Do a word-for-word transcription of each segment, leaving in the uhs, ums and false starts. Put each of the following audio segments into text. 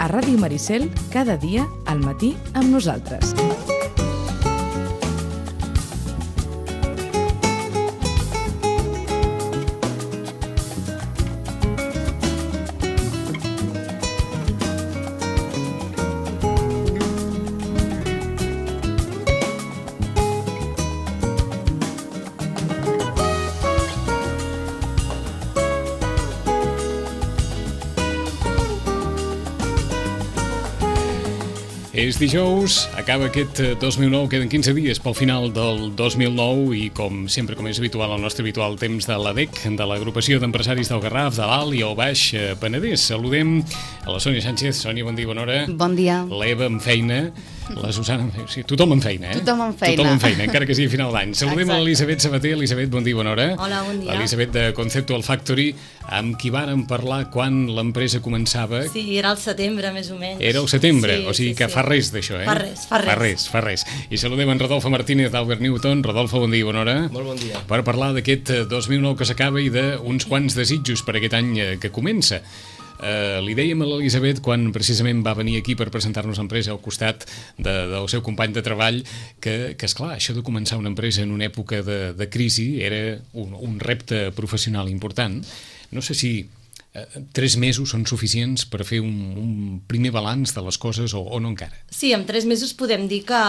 A Ràdio Maricel, cada dia, al matí, amb nosaltres. És dijous, acaba aquest dos mil nou, queden quinze dies pel final del dos mil nou i com sempre, com és habitual, el nostre habitual temps de l'A D E C, de l'Agrupació d'Empresaris del Garraf, de l'Alt i el Baix Penedès. Saludem a la Sònia Sánchez. Sònia, bon dia, bona hora. Bon dia. L'Eva amb feina, la Susana amb feina, sí, tothom amb feina, eh? Tothom amb feina. Tothom amb feina, encara que sigui a final d'any. Saludem a l'Elisabet Sabater. Elisabet, bon dia, bona hora. Hola, bon dia. L'Elisabet de Conceptual Factory, amb qui vàrem parlar quan l'empresa començava. Sí, era al setembre, més o menys. Era al setembre, sí, o sigui sí, que sí. fa res d'això, eh? Fa res, fa res. Fa res, fa res. I saludem en Rodolfo Martínez d'Albert Newton. Rodolfo, bon dia, bona hora. Molt bon dia. Per parlar d'aquest dos mil nou que s'acaba i d'uns quants desitjos per aquest any que comença. Uh, li dèiem a l'Elisabet quan precisament va venir aquí per presentar-nos l'empresa al costat de, del seu company de treball que, que esclar, això de començar una empresa en una època de, de crisi era un, un repte professional important. No sé si uh, tres mesos són suficients per fer un, un primer balanç de les coses o, o no encara. Sí, en tres mesos podem dir que,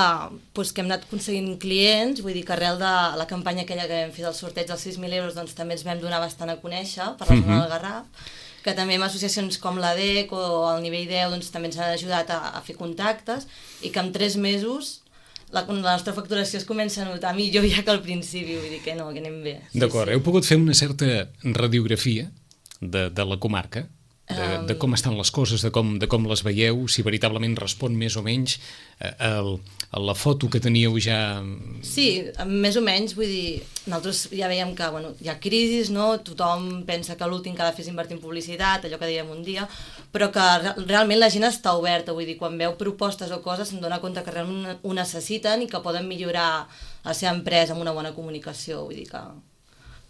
doncs, que hem anat aconseguint clients, vull dir que arrel de la campanya aquella que vam fer del sorteig dels sis mil euros, doncs també ens vam donar bastant a conèixer per la zona Uh-huh. del Garraf, que també amb associacions com l'A D E C o el Nivell deu doncs, també ens han ajudat a, a fer contactes i que en tres mesos la, la nostra facturació es comença a notar millor ja que al principi, vull dir que no, que anem bé. Sí, D'acord, sí. heu pogut fer una certa radiografia de, de la comarca, de, de com estan les coses, de com, de com les veieu, si veritablement respon més o menys a, a la foto que teníeu ja... Sí, més o menys, vull dir, nosaltres ja veiem que bueno, hi ha crisis, no? Tothom pensa que l'últim que ha de fer és invertir en publicitat, allò que dèiem un dia, però que realment la gent està oberta, vull dir, quan veu propostes o coses se'n dona compte que realment ho necessiten i que poden millorar la seva empresa amb una bona comunicació, vull dir que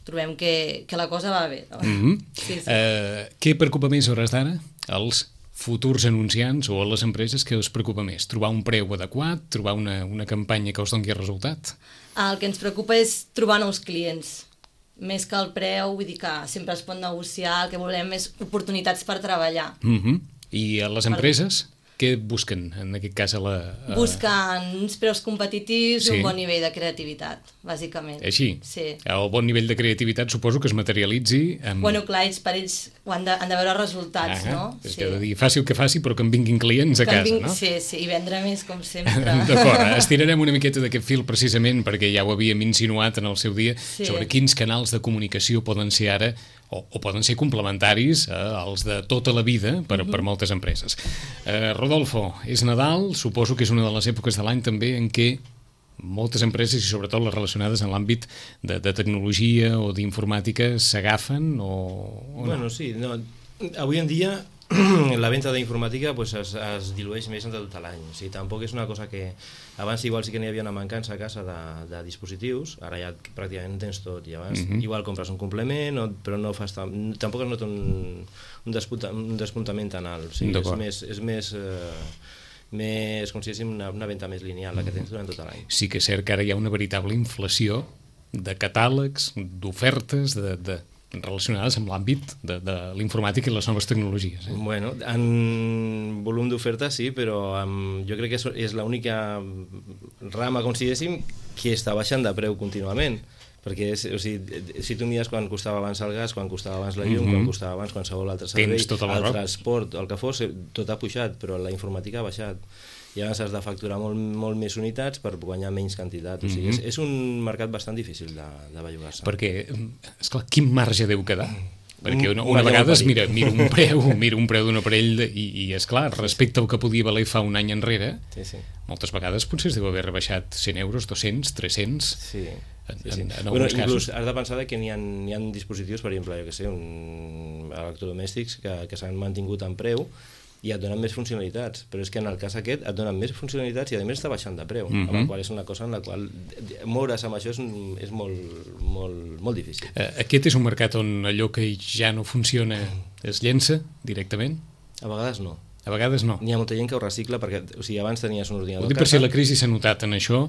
trobem que, que la cosa va bé. No? Mm-hmm. Sí, sí. Uh, què preocupa més a hores d'ara? Els futurs anunciants o a les empreses que us preocupa més? Trobar un preu adequat? Trobar una, una campanya que us doni resultat? El que ens preocupa és trobar nous clients. Més que el preu, vull dir que sempre es pot negociar, el que volem és oportunitats per treballar. Mm-hmm. I a les empreses? Què busquen, en aquest cas? A la, a... Busquen uns preus competitius Sí. i un bon nivell de creativitat, bàsicament. Així? Sí. El bon nivell de creativitat suposo que es materialitzi amb... Bueno, clar, ells, per ells ho han de, han de veure resultats, Ah, no? és que he de dir, faci el que faci, però que em vinguin clients a Que en casa, vinc- no? Sí, sí, i vendre més, com sempre. D'acord, estirarem una miqueta d'aquest fil precisament perquè ja ho havíem insinuat en el seu dia Sí. sobre quins canals de comunicació poden ser ara o, o poden ser complementaris eh, als de tota la vida per, uh-huh. per moltes empreses. Eh, Rodolfo, és Nadal, suposo que és una de les èpoques de l'any també en què moltes empreses, i sobretot les relacionades en l'àmbit de, de tecnologia o d'informàtica, s'agafen o, o no? Bueno, sí, no. Avui en dia la venda d'informàtica pues, es, es dilueix més entre tot l'any. O sigui, tampoc és una cosa que... Abans igual sí que n'hi havia una mancança a casa de, de dispositius, ara ja pràcticament tens tot, i abans Mhm. igual compres un complement, o, però no fas tam, tampoc es nota un, un, despunta, un despuntament tan alt. O sigui, és D'acord. més... És més eh, més, com si diguéssim, una, una venda més lineal, la que tens durant tot l'any. Sí que és cert que ara hi ha una veritable inflació de catàlegs, d'ofertes, de, de, relacionades amb l'àmbit de, de l'informàtica i les noves tecnologies. Eh? Bueno, en volum d'oferta sí, però um, jo crec que és, és l'única rama, com si diguéssim, que està baixant de preu contínuament. Perquè és, o sigui, si tu mires quan costava abans el gas, quan costava abans la llum, Mhm. quan costava abans qualsevol altre servei, Tens tota la el raó. transport, el que fos, tot ha pujat, però la informàtica ha baixat. I llavors has de facturar molt, molt més unitats per guanyar menys quantitat. O sigui, Mhm. és, és un mercat bastant difícil de, de bellugar-se. Perquè, esclar, quin marge deu quedar? Perquè una, Un una marge vegada es molt mira, mira un preu, mira un preu d'un aparell de, i, i esclar, respecte al que podia valer fa un any enrere, Sí, sí. moltes vegades potser es deu haver rebaixat cent euros, dos-cents, tres-cents... Sí, En- sí, sí. en- en bueno, alguns inclús casos. has de pensar que n'hi ha, n'hi ha dispositius, per exemple, jo que sé, un electrodomèstics que, que s'han mantingut en preu i et donen més funcionalitats, però és que en el cas aquest et donen més funcionalitats i a més està baixant de preu, Mhm. amb la qual és una cosa en la qual moure's amb això és, és molt, molt, molt difícil. Eh, Aquest és un mercat on allò que ja no funciona es llença directament? A vegades no. A A vegades no. N'hi ha molta gent que ho recicla perquè, o sigui, abans tenies un ordinador Ho dic per si la crisi s'ha notat en això,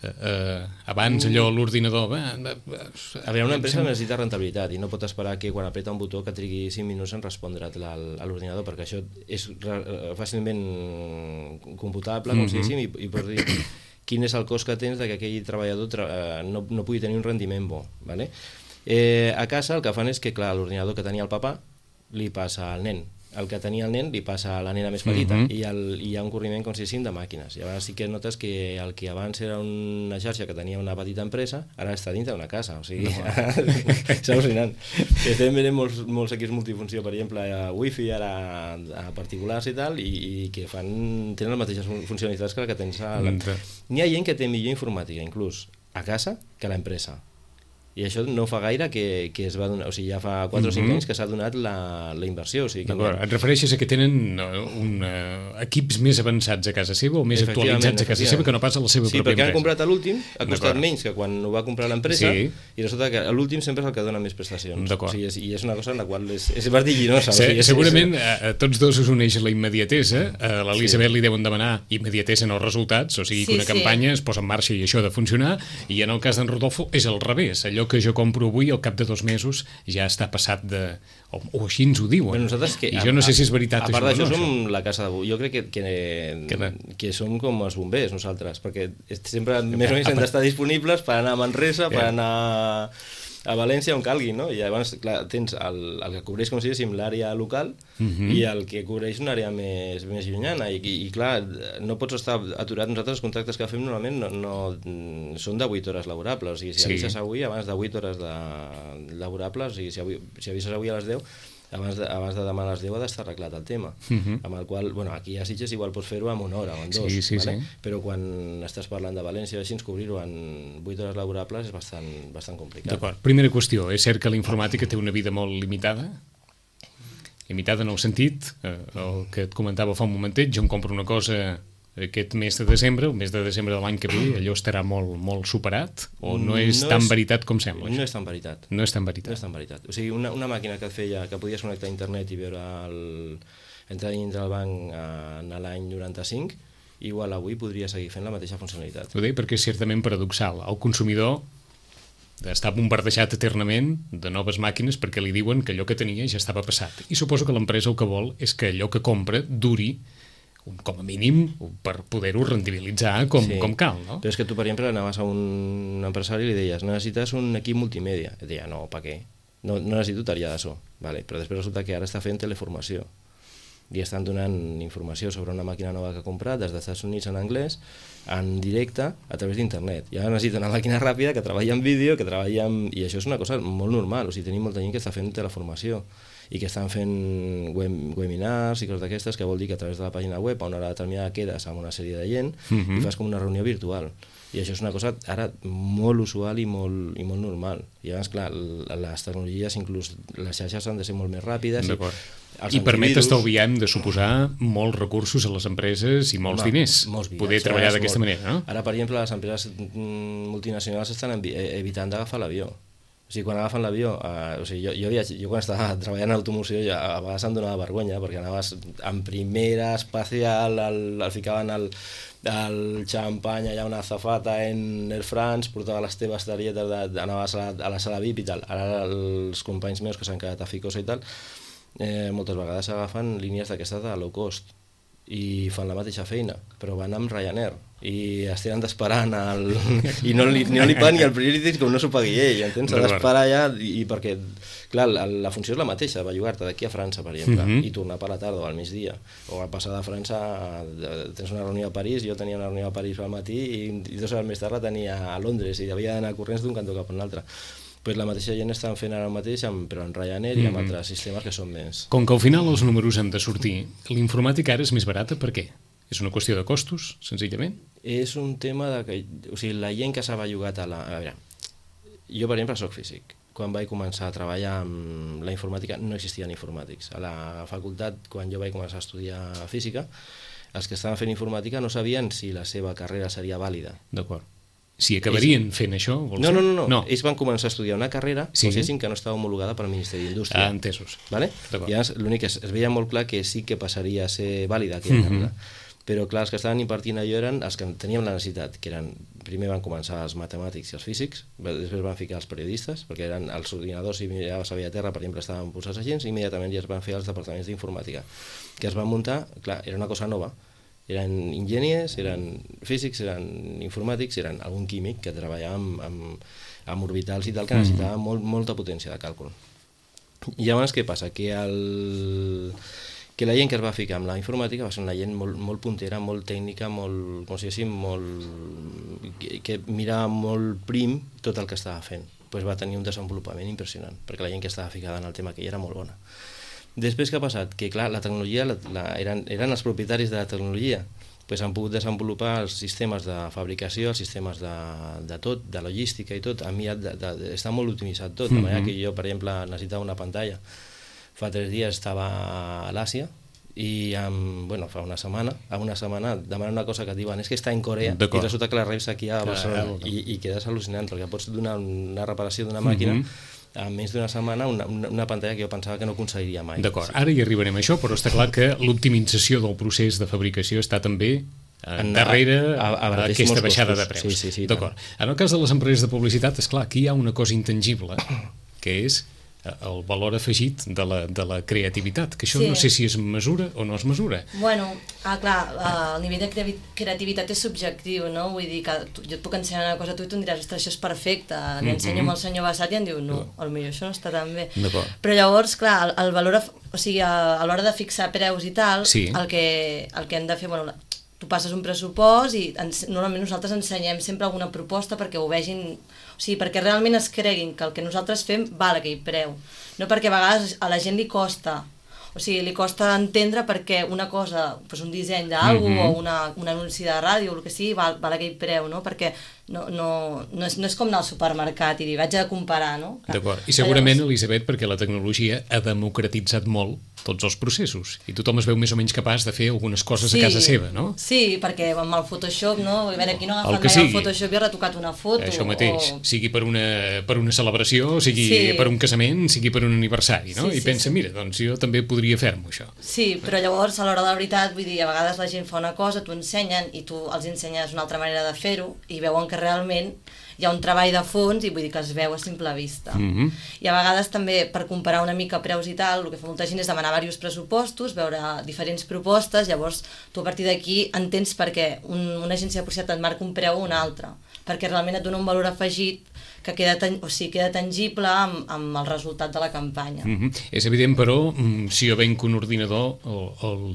eh, eh, abans allò, l'ordinador... A veure, una empresa necessita rentabilitat i no pot esperar que quan apreta un botó que trigui cinc minuts en respondre't a l'ordinador, perquè això és fàcilment computable, com si diguéssim, i, i pots dir quin és el cost que tens de que aquell treballador tra no, no pugui tenir un rendiment bo. Vale? Eh, a casa el que fan és que, clar, l'ordinador que tenia el papà li passa al nen, el que tenia el nen li passa a la nena més petita, uh-huh. i, el, i hi ha un corriment, com si diguéssim, de màquines. I llavors sí que notes que el que abans era una xarxa que tenia una petita empresa, ara està dintre d'una casa, o sigui, no. És al·lucinant. Estem veient molts, molts equips multifunció, per exemple, a wifi, ara a particulars i tal, i, i que fan, tenen les mateixes funcionalitats que la que tens a la... N'hi ha gent que té millor informàtica, inclús, a casa, que a l'empresa. I això no fa gaire que, que es va donar, o sigui, ja fa quatre o cinc anys que s'ha donat la, la inversió. O sigui, que et refereixes a que tenen un, uh, equips més avançats a casa seva o més actualitzats a casa seva que no pas a la seva sí, pròpia empresa. Sí, perquè han comprat a l'últim, ha costat menys que quan ho va comprar l'empresa, sí. I resulta que a l'últim sempre és el que dona més prestacions. O sigui, és, i és una cosa en la qual és, és vertiginosa. Se, o sigui, és, segurament és... a tots dos us uneix la immediatesa, a l'Elisabet sí. Li deuen demanar immediatesa en els resultats, o sigui que sí, una campanya sí. Es posa en marxa i això ha de funcionar, i en el cas d'en Rodolfo és al revés, allò que jo compro avui al cap de dos mesos ja està passat de... o, o així ens ho diuen. Bueno, nosaltres que, I jo no sé si és veritat a, a part això d'això no, som la casa de... Jo crec que, que, que, que som com els bombers nosaltres, perquè sempre que, més o menys hem d'estar disponibles per anar a Manresa, per anar a València on calgui, no? I llavors, clar, tens el, el que cobreix, com si diguéssim, l'àrea local uh-huh. i el que cobreix una àrea més, més llunyana. I, i, i clar, no pots estar aturat. Nosaltres els contractes que fem normalment no, no, són de vuit hores laborables. O sigui, si sí. avises avui, abans de vuit hores de, laborables, o sigui, si, avui, si avises avui a les deu, abans de, abans de demà a les deu ha d'estar arreglat el tema. Uh-huh. Amb el qual, bueno, aquí a Sitges igual pots fer-ho en una hora o en dos, sí, sí, vale? Sí. Però quan estàs parlant de València o així, cobrir-ho en vuit hores laborables és bastant, bastant complicat. D'acord. Primera qüestió, és cert que la informàtica té una vida molt limitada? Limitada en el sentit, eh, el que et comentava fa un momentet, jo em compro una cosa aquest mes de desembre, el mes de desembre de l'any que ve, allò estarà molt, molt superat o no és no tan és, veritat com sembla? No és tan veritat. No és tan veritat. No és tan veritat. O sigui, una, una màquina que et feia, que podies connectar a internet i veure el, entrar dintre del banc en l'any noranta-cinc, igual avui podria seguir fent la mateixa funcionalitat. Ho deia perquè és certament paradoxal. El consumidor està bombardejat eternament de noves màquines perquè li diuen que allò que tenia ja estava passat. I suposo que l'empresa el que vol és que allò que compra duri com a mínim per poder-ho rendibilitzar com, sí. com cal, no? Però és que tu, per exemple, anaves a un empresari i li deies necessites un equip multimèdia. Et deia, no, per què? No, no necessito tarea de so. Vale, però després resulta que ara està fent teleformació i estan donant informació sobre una màquina nova que ha comprat des dels Estats Units en anglès, en directe, a través d'internet. I ara necessita una màquina ràpida que treballa en vídeo, que treballa en... I això és una cosa molt normal, o sigui, tenim molta gent que està fent teleformació i que estan fent web, webinars i coses d'aquestes, que vol dir que a través de la pàgina web a una hora determinada quedes amb una sèrie de gent uh-huh. i fas com una reunió virtual. I això és una cosa ara molt usual i molt, i molt normal. I llavors, clar, les tecnologies, inclús les xarxes han de ser molt més ràpides. D'acord. I, I permet estalviar, hem de suposar, molts recursos a les empreses i molts Home, diners. Molts poder treballar d'aquesta manera, no? Ara, per exemple, les empreses multinacionals estan evitant d'agafar l'avió. O sigui, quan agafen l'avió, eh, o sigui, jo, jo, havia, jo quan estava treballant en automoció ja, a vegades em donava vergonya perquè anaves en primera espacial, el, el ficaven el, el xampany allà una azafata en Air France, portava les teves targetes, de, de, anaves a la, a la sala V I P i tal. Ara els companys meus que s'han quedat a Ficosa i tal, eh, moltes vegades agafen línies d'aquestes de low cost i fan la mateixa feina, però van amb Ryanair i es tenen d'esperar el... i no li, no li paguen ni el priority com no s'ho pagui ell, entens? S'ha d'esperar allà i, i perquè, clar, la, la funció és la mateixa, va jugar-te d'aquí a França, per exemple, uh-huh. i tornar per la tarda o al migdia, o al passar de França tens una reunió a París, jo tenia una reunió a París al matí i, i dues hores més tard la tenia a Londres i havia d'anar corrents d'un cantó cap a un altre. Pues la mateixa gent estan fent ara mateix, amb, però en Ryanair i amb mm-hmm. altres sistemes que són més... Com que al final els números han de sortir, l'informàtica ara és més barata, per què? És una qüestió de costos, senzillament? És un tema de que... O sigui, la gent que s'ha bellugat a la... A veure, jo, per exemple, soc físic. Quan vaig començar a treballar amb la informàtica no existien informàtics. A la facultat, quan jo vaig començar a estudiar física, els que estaven fent informàtica no sabien si la seva carrera seria vàlida. D'acord. si acabarien ells... fent això, vols no, dir? no, no, no, no, ells van començar a estudiar una carrera sí. que no estava homologada pel Ministeri d'Indústria. Ah, entesos. Vale? I l'únic és, es veia molt clar que sí que passaria a ser vàlida aquella mm-hmm. carrera. Però clar, els que estaven impartint allò eren els que teníem la necessitat, que eren, primer van començar els matemàtics i els físics, després van ficar els periodistes, perquè eren els ordinadors i miraves a Via Terra, per exemple, estaven posats a gens, i immediatament ja es van fer els departaments d'informàtica, que es van muntar, clar, era una cosa nova, eren enginyers, eren físics, eren informàtics, eren algun químic que treballava amb, amb, amb orbitals i tal, que necessitava molt, molta potència de càlcul. I llavors què passa? Que el... que la gent que es va ficar amb la informàtica va ser una gent molt, molt puntera, molt tècnica, molt, com si diguéssim, molt, que, que mirava molt prim tot el que estava fent. Pues va tenir un desenvolupament impressionant, perquè la gent que estava ficada en el tema que era molt bona. Després què ha passat? Que clar, la tecnologia, la, la, eren, eren els propietaris de la tecnologia, pues han pogut desenvolupar els sistemes de fabricació, els sistemes de, de tot, de logística i tot, a mi de, de, de, està molt optimitzat tot, de manera que jo, per exemple, necessitava una pantalla. Fa tres dies estava a l'Àsia i amb, bueno, fa una setmana, a una setmana demanen una cosa que et diuen és que està en Corea i resulta que la reps aquí a Barcelona i, i quedes al·lucinant perquè pots donar una reparació d'una màquina mm-hmm. en menys d'una setmana una, una, una pantalla que jo pensava que no aconseguiria mai. D'acord, ara hi arribarem a això, però està clar que l'optimització del procés de fabricació està també en darrere a, a, a aquesta baixada de preus. Sí, sí, sí, d'acord. En el cas de les empreses de publicitat, és clar, aquí hi ha una cosa intangible que és el valor afegit de la, de la creativitat, que això sí. no sé si es mesura o no es mesura. Bueno, ah, clar, el nivell de creativitat és subjectiu, no? Vull dir que tu, jo et puc ensenyar una cosa a tu i tu em diràs, ostres, això és perfecte, li mm-hmm. ensenyo amb el senyor Bassat i em diu, no, potser això no està tan bé. Però llavors, clar, el, el valor, o sigui, a, a l'hora de fixar preus i tal, sí. el, que, el que hem de fer, bueno, tu passes un pressupost i ens, normalment nosaltres ensenyem sempre alguna proposta perquè ho vegin, o sigui, perquè realment es creguin que el que nosaltres fem val aquell preu, no perquè a vegades a la gent li costa, o sigui, li costa entendre perquè una cosa, doncs un disseny d'algú mm-hmm. o una, un anunci de ràdio o el que sigui, val, val aquell preu, no? Perquè no, no, no, és, no és com anar al supermercat i dir, vaig a comparar, no? D'acord, i segurament, Elisabet, perquè la tecnologia ha democratitzat molt tots els processos i tothom es veu més o menys capaç de fer algunes coses sí, a casa seva, no? Sí, perquè amb el Photoshop, no? A veure, aquí no ha agafat mai el Photoshop i ha retocat una foto. Això mateix, o... sigui per una, per una celebració, sigui sí. per un casament, sigui per un aniversari, no? Sí, I pensa, sí, sí. mira, doncs jo també podria fer-m'ho, això. Sí, però llavors, a l'hora de la veritat, vull dir, a vegades la gent fa una cosa, t'ho ensenyen i tu els ensenyes una altra manera de fer-ho i veuen que realment hi ha un treball de fons i vull dir que es veu a simple vista. Mm-hmm. I a vegades també per comparar una mica preus i tal, el que fa molta gent és demanar diversos pressupostos, veure diferents propostes, llavors tu a partir d'aquí entens per què un, una agència de publicitat et marca un preu o una altra, perquè realment et dona un valor afegit que queda, tan, o sigui, queda tangible amb, amb el resultat de la campanya. Mm-hmm. És evident, però, si jo venc un ordinador, el, el,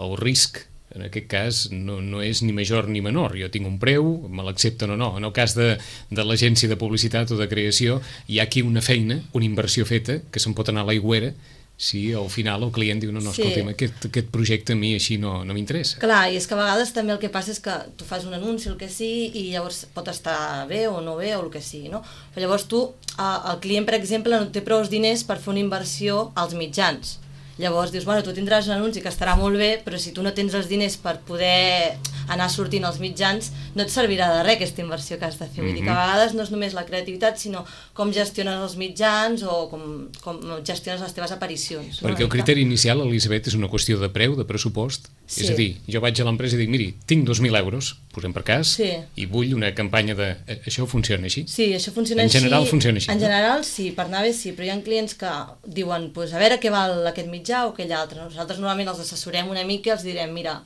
el risc en aquest cas no, no és ni major ni menor, jo tinc un preu, me l'accepten o no. En el cas de, de l'agència de publicitat o de creació hi ha aquí una feina, una inversió feta que se'n pot anar a l'aigüera si al final el client diu no, no, escolta'm, sí. aquest, aquest projecte a mi així no, no m'interessa. Clar, i és que a vegades també el que passa és que tu fas un anunci, el que sigui, i llavors pot estar bé o no bé o el que sigui, no? Però llavors tu, el client, per exemple, no té prou diners per fer una inversió als mitjans. Llavors dius, bueno, tu tindràs un anunci que estarà molt bé, però si tu no tens els diners per poder anar sortint als mitjans, no et servirà de res aquesta inversió que has de fer. Mm-hmm. Vull dir que a vegades no és només la creativitat, sinó com gestiones els mitjans o com, com gestiones les teves aparicions. Perquè no? El criteri inicial, Elisabet, és una qüestió de preu, de pressupost. Sí. És a dir, jo vaig a l'empresa i dic, miri, tinc dos mil euros, posem per cas, sí. i vull una campanya de... Això funciona així? Sí, això funciona així. En general així, funciona així. En general sí, per anar bé sí, però hi ha clients que diuen, pues, a veure què val aquest mitjà o aquell altre. Nosaltres normalment els assessorem una mica i els direm, mira,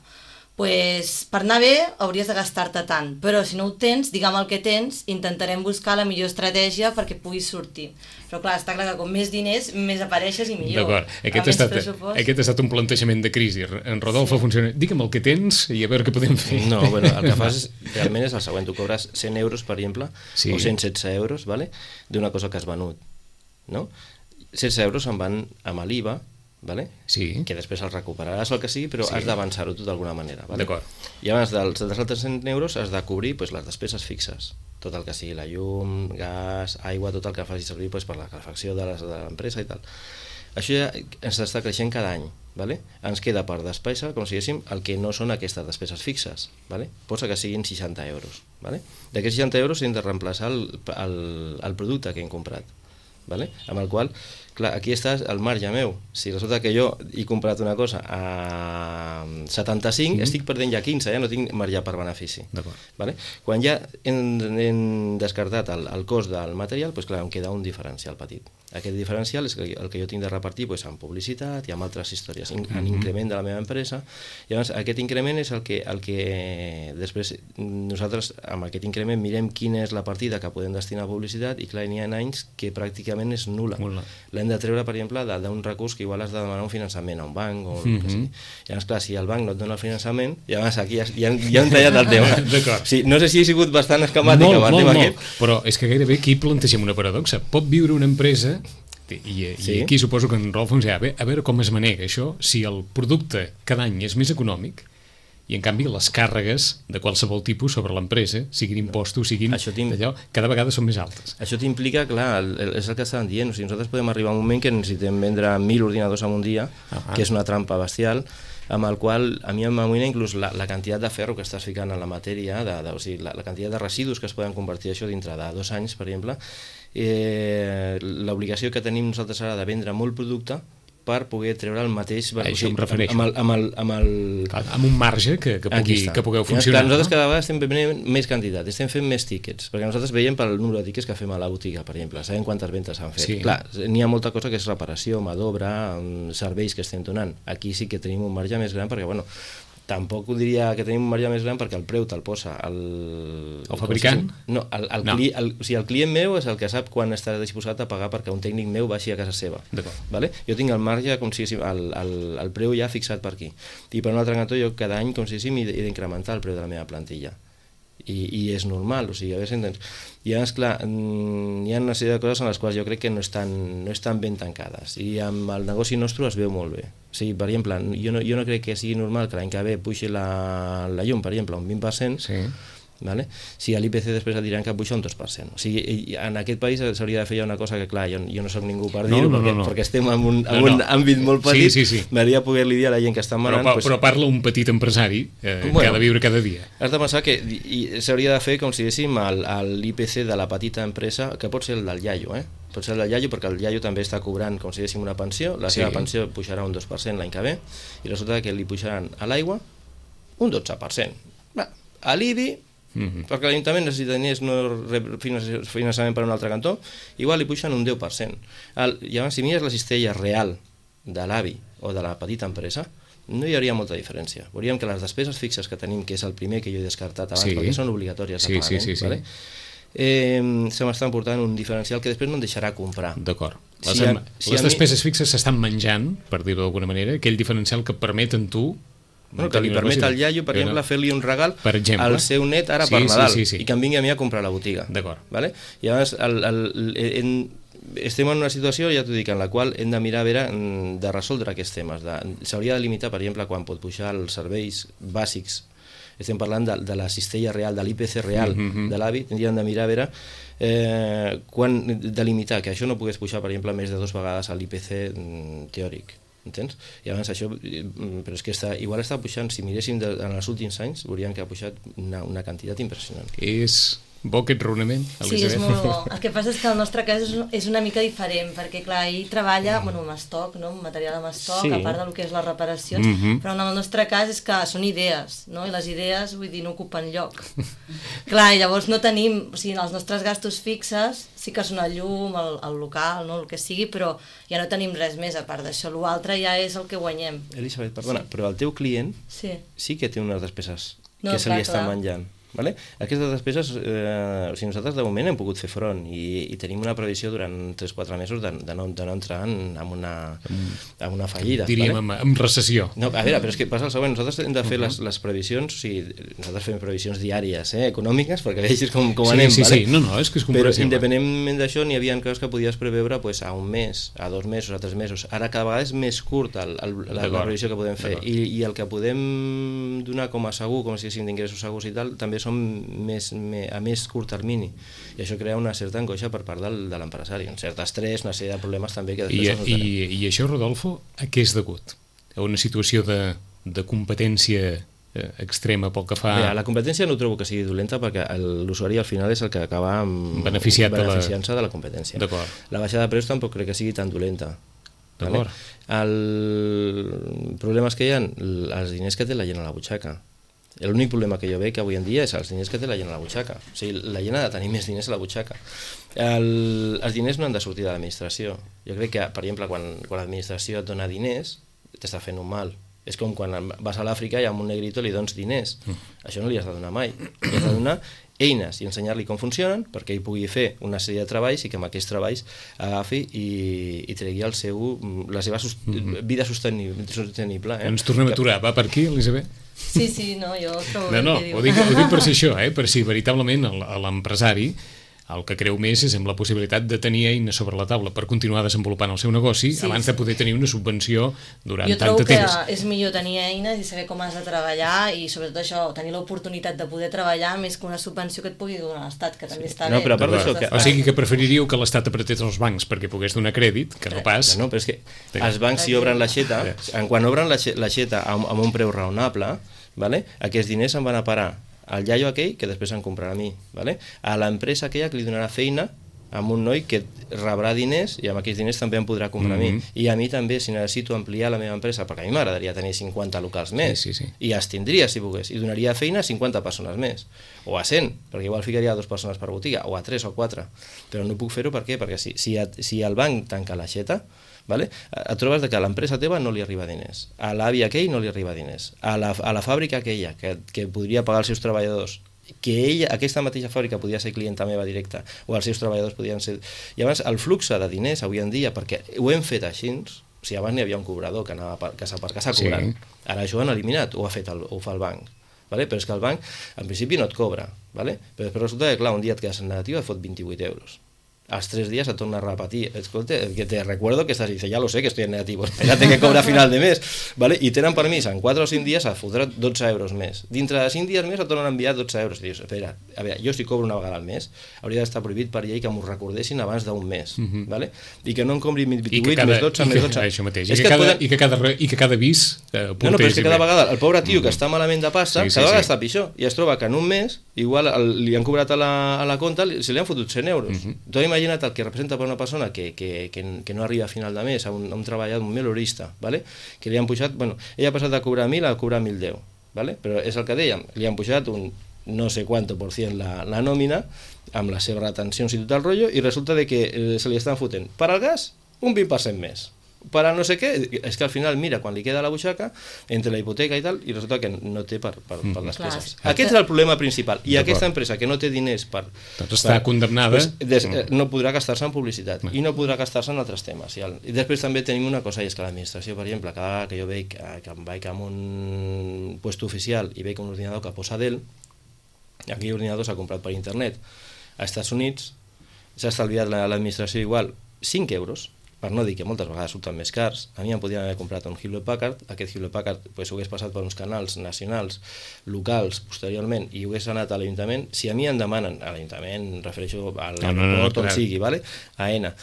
pues, per anar bé hauries de gastar-te tant, però si no ho tens, digue'm el que tens, intentarem buscar la millor estratègia perquè puguis sortir. Però clar, està clar que com més diners, més apareixes i millor. D'acord, aquest, aquest ha estat un plantejament de crisi. En Rodolfo sí. funciona, digue'm el que tens i a veure què podem fer. No, bueno, el que fas és, realment és el següent, tu cobres cent euros, per exemple, sí. o cent setze euros, vale? D'una cosa que has venut, no? setze euros se'n van amb l'I V A, vale? Sí. Que després el recuperaràs o el que sigui, però sí. has d'avançar-ho tu d'alguna manera. Vale? D'acord. I abans dels, dels altres cent euros has de cobrir pues, les despeses fixes, tot el que sigui la llum, gas, aigua, tot el que faci servir pues, per la calefacció de l'empresa i tal. això ja ens està creixent cada any. Vale? Ens queda per despesa, com si diguéssim, el que no són aquestes despeses fixes. Vale? Posa que siguin seixanta euros. Vale? D'aquests seixanta euros hem de reemplaçar el, el, el producte que hem comprat. Vale? Amb el qual, clar, aquí està el marge meu. Si resulta que jo he comprat una cosa a setanta-cinc, mm-hmm. estic perdent ja quinze, ja no tinc marge per benefici. Vale? Quan ja hem, hem descartat el, el cost del material, doncs clar, em queda un diferencial petit. Aquest diferencial és el que jo tinc de repartir doncs, en publicitat i en altres històries, en mm-hmm. increment de la meva empresa. I llavors aquest increment és el que, el que després nosaltres amb aquest increment mirem quina és la partida que podem destinar a publicitat i clar, n'hi ha anys que pràcticament és nul·la. L'hem de treure, per exemple, d'un recurs que igual has de demanar un finançament a un banc o mm-hmm. el que sigui. Llavors, clar, si el banc no et dona el finançament, llavors aquí ja, ja, ja hem tallat el tema. D'acord. Sí, no sé si he sigut bastant esquemàtic molt, amb el molt, tema molt. aquest. Però és que gairebé aquí plantegem una paradoxa. Pot viure una empresa i, i sí. aquí suposo que en Rolf ens dirà, a veure com es manega això si el producte cada any és més econòmic i en canvi les càrregues de qualsevol tipus sobre l'empresa, siguin impostos, siguin d'allò, cada vegada són més altes. Això t'implica, clar, és el que estàvem dient, o sigui, nosaltres podem arribar a un moment que necessitem vendre mil ordinadors en un dia, ah, que és una trampa bestial, amb el qual a mi m'amoïna inclús la, la quantitat de ferro que estàs ficant en la matèria, de, de, o sigui, la, la quantitat de residus que es poden convertir això dintre de dos anys, per exemple, eh, l'obligació que tenim nosaltres ara de vendre molt producte per poder treure el mateix... A això em refereixo. Amb, el, amb, el, amb, el... Clar, amb un marge que, que, pugui, que pugueu funcionar. Clar, nosaltres cada vegada estem venent més quantitat, estem fent més tíquets, perquè nosaltres veiem pel número de tíquets que fem a la botiga, per exemple, sabem quantes ventes s'han fet. Sí. Clar, n'hi ha molta cosa que és reparació, mà d'obra, serveis que estem donant. Aquí sí que tenim un marge més gran perquè, bueno, tampoc ho diria que tenim un marge més gran perquè el preu te'l posa el... El fabricant? No, el, el, no. Cli, el, o sigui, el client meu és el que sap quan està disposat a pagar perquè un tècnic meu baixi a casa seva. Vale? Jo tinc el marge, com si el, el, el preu ja fixat per aquí. I per un altre cantó jo cada any, com si he d'incrementar el preu de la meva plantilla. I, i és normal, o sigui, a veure, i llavors, clar, hi ha una sèrie de coses en les quals jo crec que no estan, no estan ben tancades i amb el negoci nostre es veu molt bé. O sigui, per exemple, jo no, jo no crec que sigui normal que l'any que ve puixi la, la llum, per exemple, un vint per cent, sí. Vale? Si a l'I P C després et diran que puja un dos per cent. O sigui, en aquest país s'hauria de fer una cosa que, clar, jo, jo no soc ningú per dir-ho, no, no, perquè, no, no. perquè estem en un, en no, no. un àmbit molt petit, sí, sí, sí. m'agradaria poder-li dir a la gent que està manant... Però, pues, però parla un petit empresari eh, bueno, que ha de viure cada dia. Has de pensar que s'hauria de fer, com si diguéssim, l'I P C de la petita empresa, que pot ser el del iaio, eh? pot ser el del iaio perquè el iaio també està cobrant, com si diguéssim, una pensió, la sí. seva pensió pujarà un dos per cent l'any que ve, i resulta que li pujaran a l'aigua un dotze per cent. Va, a l'I B I... Mm-hmm. perquè l'Ajuntament necessita diners, no rep finançament per un altre cantó, igual li puixen un deu per cent. El, llavors, si mires la cistella real de l'A V I o de la petita empresa, no hi hauria molta diferència. Veuríem que les despeses fixes que tenim, que és el primer que jo he descartat abans, sí. perquè són obligatòries de sí, pagament, sí, sí, sí. Vale? eh, se m'estan portant un diferencial que després no em deixarà comprar. D'acord. Les, si a, si les despeses mi... fixes s'estan menjant, per dir-ho d'alguna manera, aquell diferencial que permeten tu... Bueno, que li permet al iaio, per exemple, fer-li un regal per exemple. al seu net ara sí, per Nadal sí, sí, sí. i que em vingui a mi a comprar a la botiga. D'acord. Vale? I llavors el, el, en, estem en una situació, ja t'ho dic, en la qual hem de mirar a veure de resoldre aquests temes. S'hauria de limitar, per exemple, quan pot pujar els serveis bàsics. Estem parlant de, de la cistella real, de l'I P C real mm-hmm. de l'A V I, tindríem de mirar a veure eh, quan delimitar, que això no pogués pujar, per exemple, més de dues vegades a l'I P C teòric. Entens? I abans això, però és que està, igual està pujant, si miréssim de, en els últims anys, veuríem que ha pujat una, una quantitat impressionant. És bo aquest raonament, Elisabet? Sí, és molt bo. El que passa és que el nostre cas és, és una mica diferent, perquè clar, ell treballa bueno, amb estoc, no? Amb material amb estoc, sí. a part del que és les reparacions, mm-hmm. però en el nostre cas és que són idees, no? I les idees, vull dir, no ocupen lloc. Clar, i llavors no tenim, o sigui, els nostres gastos fixes sí que són el llum, el, el local, no? El que sigui, però ja no tenim res més a part d'això. L'altre ja és el que guanyem. Elisabet, perdona, sí. però el teu client sí, sí que té unes despeses no, que se li estan menjant. Vale? Aquestes despeses, eh, o sigui, nosaltres de moment hem pogut fer front i, i tenim una previsió durant tres o quatre mesos de, de, no, de no entrar en, en, una, en una fallida. Diríem vale? en, en recessió. No, a veure, però és que passa el següent, nosaltres hem de fer uh-huh. les, les previsions, o sigui, nosaltres fem previsions diàries, eh, econòmiques, perquè vegis com, com sí, anem. Sí, vale? sí, no, no, és que és comprensible. Però independentment d'això, n'hi havia coses que podies preveure pues, a un mes, a dos mesos, a tres mesos. Ara cada vegada és més curt el, el, la, la previsió que podem fer i, i el que podem donar com a segur, com si haguéssim d'ingressos segurs i tal, també són més, més, a més curt termini, i això crea una certa angoixa per part del, de l'empresari, un cert estrès, una sèrie de problemes també que després... I, i, i això, Rodolfo, a què és degut? A una situació de, de competència extrema pel que fa... Bé, la competència no trobo que sigui dolenta perquè l'usuari al final és el que acaba beneficiant-se beneficiant de la competència. La baixada de preus tampoc crec que sigui tan dolenta. Vale? El problema és que hi ha els diners que té la gent a la butxaca. L'únic problema que jo veig avui en dia és els diners que té la gent a la butxaca. O sigui, la gent ha de tenir més diners a la butxaca. El, els diners no han de sortir de l'administració. Jo crec que, per exemple, quan, quan l'administració et dona diners, t'està fent un mal. És com quan vas a l'Àfrica i amb un negrito li dones diners. Mm. Això no li has de donar mai. Li has de donar eines i ensenyar-li com funcionen perquè ell pugui fer una sèrie de treballs i que amb aquests treballs agafi i, i tregui el seu, la seva sust mm-hmm. vida sostenible. sostenible eh? Ens tornem a aturar. Va per aquí, Elisabet? Sí, sí, no, jo trobo no, no, ho dic, ho dic per si això, eh? Per si veritablement l'empresari el que creu més és amb la possibilitat de tenir eines sobre la taula per continuar desenvolupant el seu negoci sí, abans de poder tenir una subvenció durant tant de temps. Jo trobo que és millor tenir eines i saber com has de treballar i sobretot això, tenir l'oportunitat de poder treballar més que una subvenció que et pugui donar l'Estat, que també sí. està no, bé. Però a part d'això que... O sigui que preferiríeu que l'Estat apretés els bancs perquè pogués donar crèdit, que no pas... No, però és que els bancs si obren l'aixeta, quan obren l'aixeta amb, amb un preu raonable, vale? Aquests diners se'n van a parar al iaio aquell que després em comprarà a mi, vale? A l'empresa aquella que li donarà feina amb un noi que rebrà diners i amb aquells diners també em podrà comprar mm-hmm. a mi. I a mi també, si necessito ampliar la meva empresa, perquè a mi m'agradaria tenir cinquanta locals més, sí, sí, sí. i els tindria si pogués, i donaria feina a cinquanta persones més, o a cent, perquè igual ficaria a dues persones per botiga, o a tres o quatre, però no puc fer-ho per què? Perquè si, si, si el banc tanca l'aixeta, vale? Et trobes que a l'empresa teva no li arriba diners, a l'àvia aquell no li arriba diners, a la, a la fàbrica aquella que, que podria pagar els seus treballadors, que ella, aquesta mateixa fàbrica podia ser clienta meva directa o els seus treballadors podien ser... I abans el flux de diners avui en dia, perquè ho hem fet així, o sigui, abans n'hi havia un cobrador que anava per casa per casa cobrant, sí. Ara això ho han eliminat, ho ha fet el, ho fa el banc, vale? Però és que el banc en principi no et cobra, vale? Però després resulta que clar, un dia et quedes en negatiu et fot vint-i-vuit euros. Als tres días se torna a repetir. Escolta, que te recuerdo que estás, dice, ya lo sé que estoy en negativo, espérate que cobra a final de mes, ¿vale? I tenen permís en quatre o cinc dies a fotre dotze euros més. Dintre de cinc dies més et tornen a enviar dotze euros. I dius, espera, a veure, jo si cobro una vegada al mes, hauria d'estar prohibit per llei que m'ho recordessin abans d'un mes, mm-hmm. ¿vale? I que no em compri vint-i-vuit més dotze més dotze. Això mateix. I que, cada, poden... i, que cada, I que cada vis eh, no, no, però és que cada vegada el pobre tio mm-hmm. que està malament de pasta, sí, sí, cada vegada sí. Està pitjor. I es troba que en un mes, igual el, li han cobrat a la, a la compta, se li han fotut cent euros. Mm-hmm. Tu imagina't el que representa per una persona que, que, que, que no arriba a final de mes, a un, a un treballador, un melorista, ¿vale? Que li han pujat, bueno, ella ha passat de cobrar mil a cobrar mil deu, ¿vale? Però és el que dèiem, li han pujat un no sé quanto por cent la, la nòmina, amb les seves retencions i tot el rotllo, i resulta de que eh, se li estan fotent per al gas un vint per cent més. Per a no sé què, és que al final mira quan li queda la butxaca entre la hipoteca i tal i resulta que no té per, per, per les Clar, peces. Aquest és el problema principal i aquesta empresa que no té diners per... Doncs està per, condemnada. Pues, des, mm. no podrà gastar-se en publicitat mm. i no podrà gastar-se en altres temes. I, el, I després també tenim una cosa i és que l'administració, per exemple, cada vegada que jo veig que, que em vaig amb un puesto oficial i veig un ordinador que posa Dell, aquell ordinador s'ha comprat per internet a Estats Units, s'ha estalviat l'administració igual cinc euros, per no dir que moltes vegades surten més cars. A mi em podien haver comprat un Hewlett Packard, aquest Hewlett Packard pues, ho hagués passat per uns canals nacionals, locals, posteriorment, i ho hagués anat a l'Ajuntament. Si a mi em demanen, a l'Ajuntament, refereixo a l'aeroport, no, no, no, on sigui, vale? A ENA,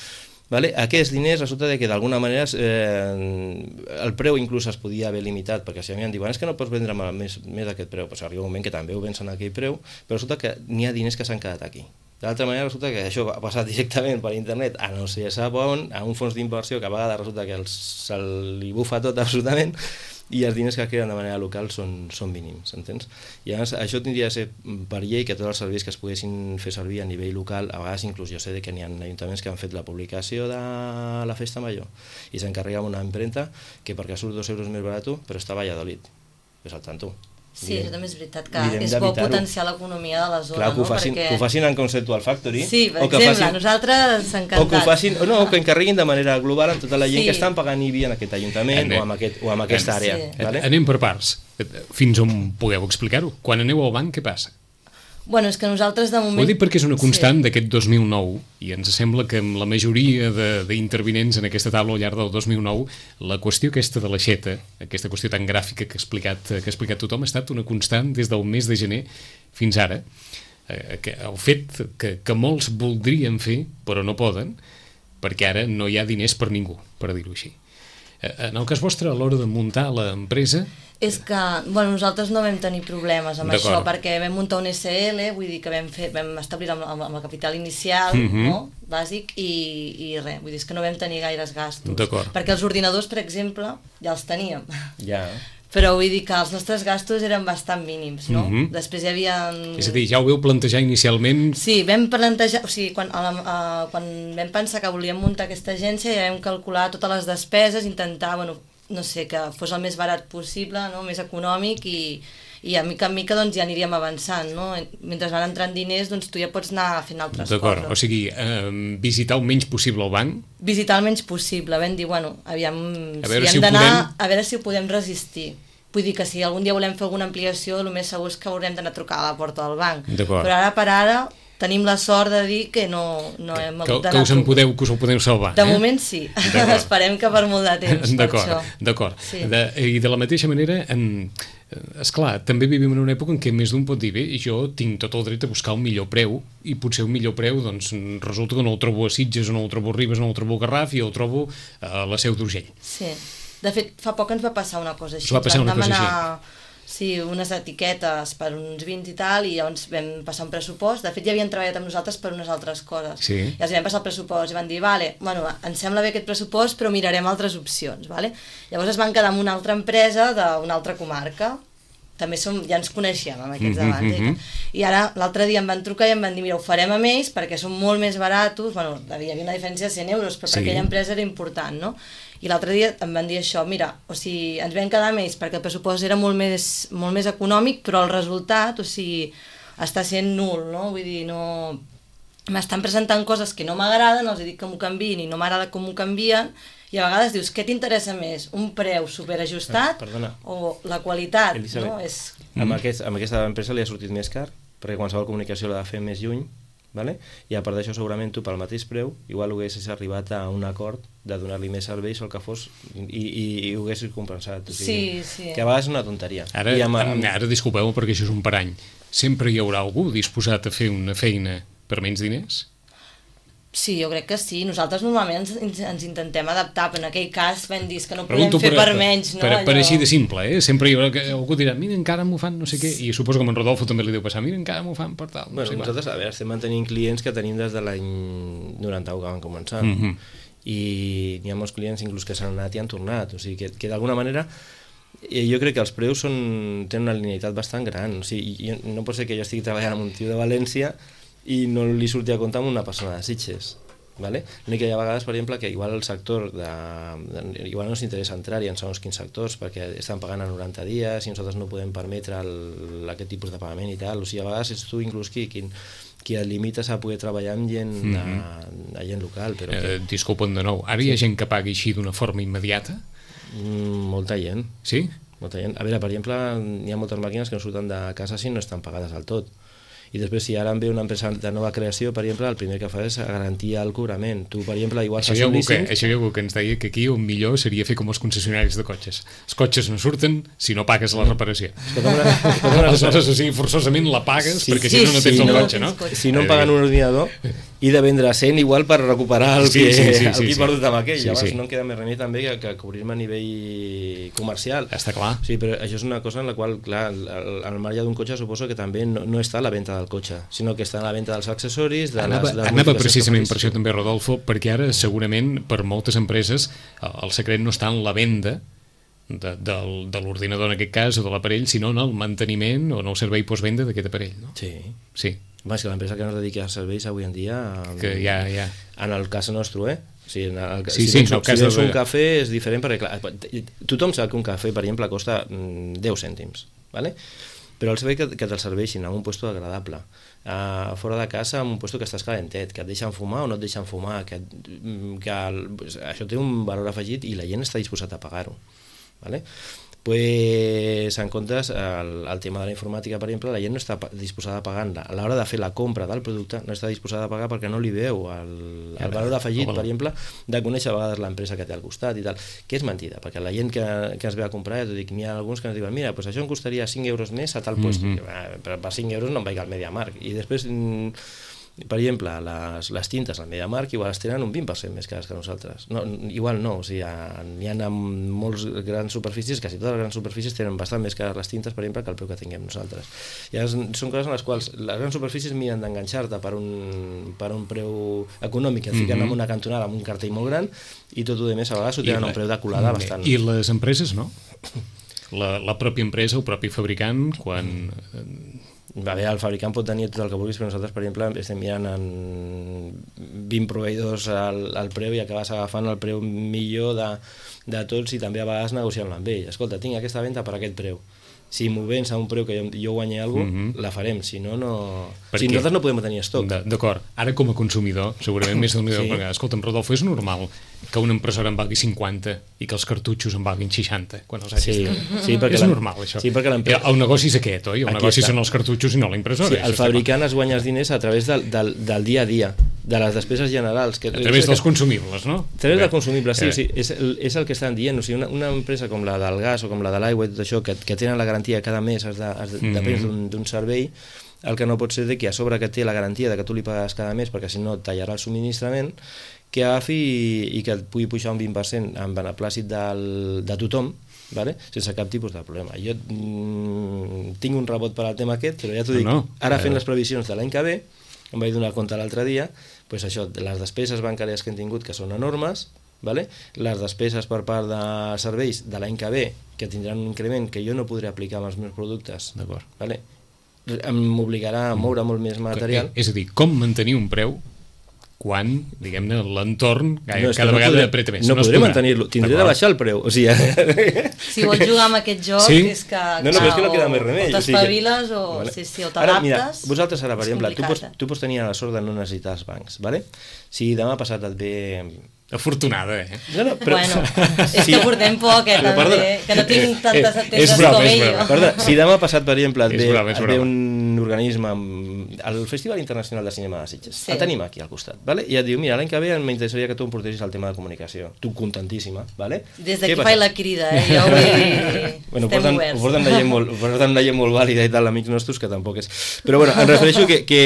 vale? Aquests diners resulta que d'alguna manera eh, el preu inclús es podia haver limitat, perquè si a mi em diuen és que no pots vendre més, més aquest preu, pues arriba un moment que també ho vencen aquell preu, però resulta que n'hi ha diners que s'han quedat aquí. De l'altra manera resulta que això ha passat directament per internet a no sé sap on, a un fons d'inversió que a vegades resulta que els, se li bufa tot absolutament i els diners que queden de manera local són, són mínims, entens? I llavors això tindria de ser per llei que tots els serveis que es poguessin fer servir a nivell local, a vegades inclús jo sé que n'hi ha ajuntaments que han fet la publicació de la festa major i s'encarrega una impremta que perquè surt dos euros més barat però està a Valladolid, ves al tanto. Sí, això també és veritat, que és bo potenciar l'economia de la zona. Clar, que ho facin, perquè... que ho facin en Conceptual Factory. Sí, per o que exemple, facin, nosaltres ens encanta. O que ho facin, o no, o que encarreguin de manera global amb tota la gent sí. que estan pagant I B I en aquest ajuntament Anem. o amb, aquest, o amb aquesta àrea. Sí. Vale? Anem per parts. Fins on podeu explicar-ho? Quan aneu al banc, què passa? Bueno, és que nosaltres de moment... Ho dic perquè és una constant sí. d'aquest dos mil nou i ens sembla que amb la majoria d'intervinents en aquesta taula al llarg del dos mil nou la qüestió aquesta de l'aixeta, aquesta qüestió tan gràfica que ha explicat, que ha explicat tothom, ha estat una constant des del mes de gener fins ara, eh, que el fet que, que molts voldrien fer, però no poden, perquè ara no hi ha diners per ningú, per dir-ho així. Eh, en el cas vostre, a l'hora de muntar l'empresa... És que, bueno, nosaltres no vam tenir problemes amb això, perquè vam muntar un S L, vull dir que vam, fer, vam establir amb, amb el capital inicial, uh-huh. no?, bàsic, i, i res, vull dir que no vam tenir gaires gastos. Perquè els ordinadors, per exemple, ja els teníem. Ja. Però vull dir que els nostres gastos eren bastant mínims, no? Uh-huh. Després hi havia... És a dir, ja ho veu plantejar inicialment... Sí, vam plantejar... O sigui, quan, a la, a, quan vam pensar que volíem muntar aquesta agència, ja vam calcular totes les despeses, intentar, bueno, no sé, que fos el més barat possible, no?, més econòmic, i, i a mica en mica doncs, ja aniríem avançant, no? Mentre van entrant diners, doncs tu ja pots anar fent altres coses. D'acord, o sigui, eh, visitar el menys possible el banc? Visitar el menys possible, vam dir, bueno, aviam, a veure si si hem d'anar, podem... a veure si ho podem resistir. Vull dir que si algun dia volem fer alguna ampliació, el més segur és que haurem d'anar a trucar a la porta del banc. Però ara per ara tenim la sort de dir que no, no hem hagut d'anar... Que us en podeu, que us ho podeu salvar. De eh? moment sí. Esperem que per molt de temps, per això. D'acord, sí. De, i de la mateixa manera, en, esclar, també vivim en una època en què més d'un pot dir, bé, jo tinc tot el dret a buscar un millor preu, i potser un millor preu, doncs, resulta que no el trobo a Sitges, o no el trobo a Ribes, no el trobo a Garraf, i el trobo a la Seu d'Urgell. Sí. De fet, fa poc ens va passar una cosa així. Us va passar una cosa així? Sí, unes etiquetes per uns vins i tal, i llavors vam passar un pressupost. De fet, ja havien treballat amb nosaltres per unes altres coses. Sí. I els vam passar el pressupost i van dir, vale, bueno, ens sembla bé aquest pressupost, però mirarem altres opcions, vale? Llavors es van quedar amb una altra empresa d'una altra comarca. També som, ja ens coneixíem amb aquests abans. Mm-hmm. I ara, l'altre dia em van trucar i em van dir, mira, ho farem amb ells perquè són molt més baratos. Bueno, hi havia una diferència de cent euros, però sí. Per aquella empresa era important, no? I l'altre dia em van dir això, mira, o sigui, ens vam quedar amb ells perquè el pressupost era molt més, molt més econòmic, però el resultat, o sigui, està sent nul, no? Vull dir, no... M'estan presentant coses que no m'agraden, els dic que m'ho canviïn i no m'agrada com m'ho canvien, i a vegades dius, què t'interessa més? Un preu superajustat Perdona. O la qualitat? Elisabet, no? És... amb, aquest, amb aquesta empresa li ha sortit més car, perquè qualsevol comunicació l'ha de fer més lluny, vale? I a part d'això segurament tu pel mateix preu igual haguessis arribat a un acord de donar-li més serveis o el que fos i, i, i ho haguessis compensat, o sigui, sí, sí. que a vegades és una tonteria. Ara, I amb, amb... ara disculpeu perquè això és un parany, sempre hi haurà algú disposat a fer una feina per menys diners? Sí, jo crec que sí. Nosaltres normalment ens, ens intentem adaptar, però en aquell cas vam dir que no podem Pregunto fer per, per menys. No? Per, per, Allò... per així de simple, eh? Sempre hi haurà que algú dirà, mira, encara m'ho fan, no sé què, i suposo que amb en Rodolfo també li deu passar, mira, encara m'ho fan per tal. No bueno, sé nosaltres, a veure, estem mantenint clients que tenim des de l'any noranta-u que van començar, mm -hmm. i n'hi ha molts clients inclús que s'han anat i han tornat, o sigui que, que d'alguna manera jo crec que els preus són, tenen una linealitat bastant gran, o sigui, jo, no pot ser que jo estigui treballant amb un tio de València i no li surti a compte amb una persona de Sitges. Vale? L'únic que hi ha vegades, per exemple, que igual el sector de, de, igual no ens interessa entrar-hi en segons quins sectors perquè estan pagant a noranta dies i nosaltres no podem permetre el, aquest tipus de pagament i tal, o sigui, a vegades és tu inclús qui, qui, qui et limites a poder treballar amb gent, mm -hmm. a, a gent local, però que... eh, disculpa'n de nou, ara hi ha gent que pagui així d'una forma immediata? Mm, molta gent. Sí? Molta gent. A veure, per exemple, hi ha moltes màquines que no surten de casa si no estan pagades del tot. I després, si ara em ve una empresa de nova creació, per exemple, el primer que fa és garantir el cobrament. Tu, per exemple, igual això hi ha algú que, això hi ha algú que ens deia que aquí el millor seria fer com els concessionaris de cotxes. Els cotxes no surten si no pagues la reparació. Aleshores, o sigui, forçosament la pagues, sí, perquè sí, si no no tens sí, el cotxe, no? Si no em paguen un ordinador, i de vendre cent igual per recuperar el sí, que, sí, sí, el sí, que he perdut amb aquell. Sí, Llavors sí. no em queda més remei també que, que cobrir-me a nivell comercial. Està clar. Sí, però això és una cosa en la qual, clar, al marge d'un cotxe suposo que també no, no està a la venda del cotxe, sinó que està a la venda dels accessoris, de anava, les, de les anava precisament per això també, Rodolfo, perquè ara segurament per moltes empreses el secret no està en la venda de, de, de l'ordinador en aquest cas o de l'aparell, sinó en el manteniment o en el servei postvenda d'aquest aparell, no? Sí. Sí. Va, és que l'empresa que no es dedica a serveis avui en dia... Que ja, ja. En el cas nostre, eh? O sigui, en el, sí, si sí, tens, no, si tens de... un cafè és diferent perquè, clar, tothom sap que un cafè, per exemple, costa deu cèntims, ¿vale? Però el servei que, que te'l serveixin en un lloc agradable, uh, fora de casa, en un lloc que estàs calentet, que et deixen fumar o no et deixen fumar, que, que el, això té un valor afegit i la gent està disposat a pagar-ho, ¿vale? pues, en comptes, el, el tema de la informàtica, per exemple, la gent no està disposada a pagar-la. A l'hora de fer la compra del producte no està disposada a pagar perquè no li veu el, el valor afegit, per exemple, de conèixer a vegades l'empresa que té al costat i tal, que és mentida, perquè la gent que, que ens ve a comprar, ja t'ho dic, n'hi ha alguns que ens diuen, mira, pues això em costaria cinc euros més a tal lloc, mm-hmm. però per cinc euros no em vaig al MediaMarkt, i després... Per exemple, les, les tintes al MediaMarkt igual es tenen un vint per cent més cares que nosaltres. No, igual no, o sigui, n'hi ha molts grans superfícies, quasi totes les grans superfícies tenen bastant més cares les tintes, per exemple, que el preu que tinguem nosaltres. I són coses en les quals les grans superfícies miren d'enganxar-te per, un, per un preu econòmic, et fiquen mm-hmm. en una cantonada amb un cartell molt gran, i tot el més a vegades ho tenen a un preu de colada bastant... I les empreses, no? La, la pròpia empresa, el propi fabricant, quan... A veure, el fabricant pot tenir tot el que vulguis, però nosaltres, per exemple, estem mirant en vint proveïdors al, al preu i acabes agafant el preu millor de, de tots i també a vegades negociant-lo amb ell. Escolta, tinc aquesta venda per aquest preu. Si m'ho vens a un preu que jo, jo guanyi alguna cosa, mm-hmm. la farem, si no, no... Per si nosaltres no podem tenir estoc. D'acord, ara com a consumidor, segurament més del millor, sí. Perquè, escolta'm, Rodolfo, és normal que una impressora en valgui cinquanta i que els cartutxos en valguin seixanta, quan els hagis sí, sí, perquè és normal, això. Sí, perquè el negoci és aquest, oi? El negoci són els cartutxos i no la impressora. Sí, el fabricant es guanya els diners a través del, del, del dia a dia, de les despeses generals. Que, a través dels consumibles, no? A través dels consumibles, sí, sí, és, és el que estan dient. O sigui, una, una empresa com la del gas o com la de l'aigua i tot això, que, que tenen la garantia cada mes, has de, has de, mm-hmm. depèn d'un servei, el que no pot ser de que a sobre que té la garantia de que tu li pagues cada mes perquè si no et tallarà el subministrament, que agafi i, i que et pugui pujar un vint per cent en beneplàcit del, de tothom, vale? Sense cap tipus de problema. Jo mm, tinc un rebot per al tema aquest, però ja t'ho dic, no, no. Ara fent les previsions de l'any que ve, em vaig donar compte l'altre dia, pues això, les despeses bancàries que hem tingut, que són enormes, vale? Les despeses per part de serveis de l'any que ve, que tindran un increment que jo no podré aplicar amb els meus productes, vale? M'obligarà a moure molt més material. És a dir, com mantenir un preu quan, diguem-ne, l'entorn cada, no, cada no vegada podré, apreta més. No, no podré mantenir-lo, tindré de baixar el preu. O sigui, si vols jugar amb aquest joc, sí? És que... No, no, però és que no queda més remei. O t'espaviles o, vale. sí, sí, o t'adaptes. Vosaltres ara, per exemple, tu pots, tu pots tenir la sort de no necessitar els bancs, vale? Si demà passat et ve... Afortunada, eh? No, no, però... Bueno, és que portem poc, eh, també, perdona, que no tinc tantes atendes broma, com ell. Perdona, si demà passat, per exemple, et ve, broma, et ve un organisme amb el Festival Internacional de Cinema de Sitges, sí. El tenim aquí al costat, vale? I et diu, mira, l'any que ve m'interessaria que tu em portessis el tema de comunicació. Tu contentíssima, vale? Des d'aquí faig la crida, eh? Jo vull dir... Bueno, estem porten, oberts. Ho porten de gent molt, porten de gent molt vàlida i tal, amics nostres, que tampoc és... Però bueno, em refereixo que, que,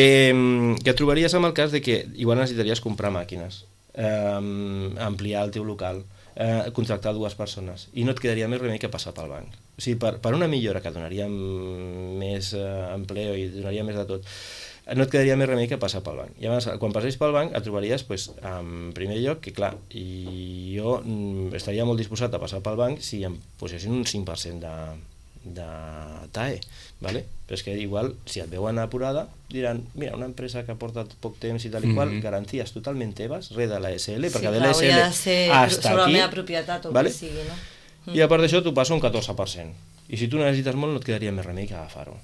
que et trobaries amb el cas de que igual necessitaries comprar màquines, eh, ampliar el teu local, eh, contractar dues persones, i no et quedaria més remei que passar pel banc. O sigui, per, per una millora que donaria més eh, empleo i donaria més de tot, no et quedaria més remei que passar pel banc. I llavors, quan passeis pel banc, et trobaries, pues, en primer lloc, que clar, i jo mm, estaria molt disposat a passar pel banc si em posessin un cinc per cent de, de T A E, vale? Però és que igual, si et veuen apurada, diran, mira, una empresa que porta poc temps i tal i qual, mm-hmm. garanties totalment teves, res de la S L, perquè sí, de la S L hasta sobre aquí, la meva propietat o vale? Que sigui, no? Mm. I a part d'això, tu passa un catorze per cent. I si tu necessites molt, no et quedaria més remei que agafar-ho.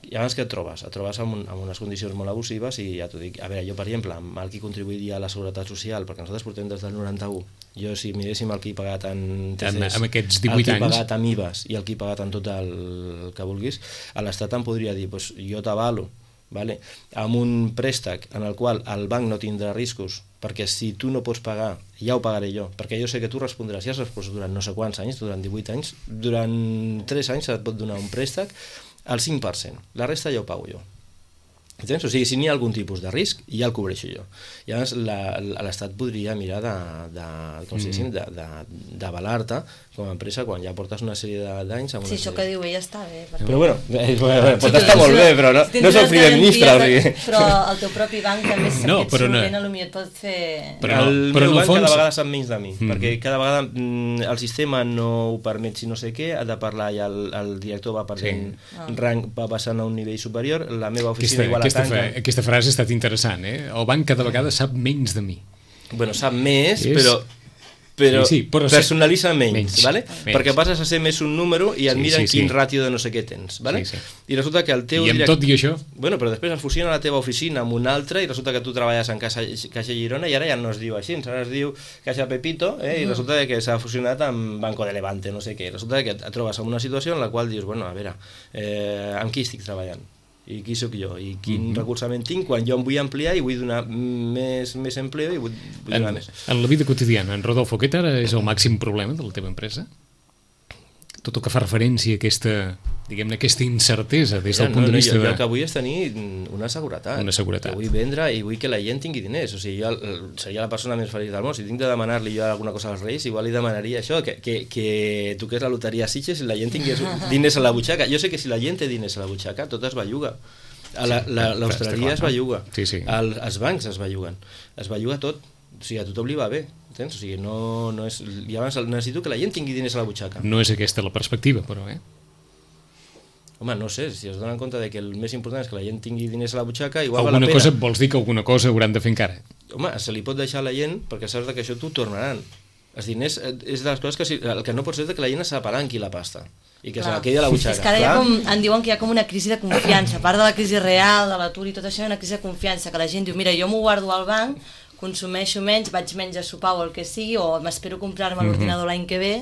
I abans que et trobes? Et trobes amb, un, amb unes condicions molt abusives i ja t'ho dic. A veure, jo, per exemple, amb el que contribuiria a la Seguretat Social, perquè nosaltres portem des del noranta-u, jo si miréssim el que he pagat en T C S, amb aquests divuit anys, el que he pagat amb I V As i el que he pagat en tot el, el que vulguis, a l'Estat em podria dir, pues, jo t'avalo, vale? Amb un préstec en el qual el banc no tindrà riscos, perquè si tu no pots pagar, ja ho pagaré jo, perquè jo sé que tu respondràs, ja has respost durant no sé quants anys, durant divuit anys, durant tres anys et pot donar un préstec al cinc per cent, la resta ja ho pago jo. Entens? O sigui, si n'hi ha algun tipus de risc, ja el cobreixo jo. I llavors l'Estat podria mirar de, de, com si diguéssim, de, de, d'avalar-te com a empresa quan ja portes una sèrie d'anys... Sí, això que diu ell està bé. Perquè... Però bueno, eh, pot estar molt bé, però no, no és el primer ministre. O sigui. Però el teu propi banc també sap no, que et no. surt potser et pot fer... Però no, el però meu banc fons... cada vegada sap menys de mi, mm. perquè cada vegada mm, el sistema no ho permet si no sé què, ha de parlar i el, el director va perdent sí. ah. rang, va passant a un nivell superior, la meva oficina aquesta, igual aquesta, tanca... fa, aquesta frase ha estat interessant, eh? El banc cada vegada sap menys de mi. Bueno, sap més, és... però... però, sí, sí, però personalitza menys, menys, ¿vale? menys. Perquè passes a ser més un número i et Sí, miren sí, quin sí. ràtio de no sé què tens, ¿vale? Sí, sí. I resulta que el teu I amb direct- tot i això? Bueno, però després es fusiona la teva oficina amb una altra i resulta que tu treballes en Caixa, Caixa Girona i ara ja no es diu així, ara es diu Caixa Pepito, eh? I resulta que s'ha fusionat amb Banco de Levante, no sé què. Resulta que et trobes en una situació en la qual dius, bueno, a veure, eh, amb qui estic treballant? I qui sóc jo? I quin Mhm. recolzament tinc quan jo em vull ampliar i vull donar més, més empleo i vull, vull En, donar més? en la vida quotidiana, en Rodolfo, aquest ara és el màxim problema de la teva empresa? Tot el que fa referència a aquesta, diguem-ne, aquesta incertesa des del Mira, punt no, de no, vista jo, de... jo el que vull és tenir una seguretat. Una seguretat. Jo vull vendre i vull que la gent tingui diners. O sigui, jo el- seria la persona més feliç del món. Si tinc de demanar-li jo alguna cosa als Reis, igual li demanaria això, que, que, que toqués la loteria a Sitges i la gent tingués diners a la butxaca. Jo sé que si la gent té diners a la butxaca, tot es belluga. A la, la, l'hostaleria Està es clar, no? belluga. Sí, sí. El, els bancs es belluguen. Es belluga tot. O sigui, a tothom li va bé. Entens? O sigui, no, no és... I abans necessito que la gent tingui diners a la butxaca. No és aquesta la perspectiva, però, eh? Home, no sé, si es donen compte de que el més important és que la gent tingui diners a la butxaca, igual val Alguna la pena. cosa, vols dir que alguna cosa hauran de fer encara? Home, se li pot deixar a la gent perquè saps que això t'ho tornaran. Els diners eh, és de les coses que si, el que no pot ser és que la gent s'apalanqui la pasta i que Clar. se la quedi a la butxaca. És que ara hi ha clar. com, em diuen que hi ha com una crisi de confiança, a part de la crisi real, de l'atur i tot això, hi ha una crisi de confiança, que la gent diu, mira, jo m'ho guardo al banc, consumeixo menys, vaig menys a sopar o el que sigui, o m'espero comprar-me l'ordinador l'any que ve,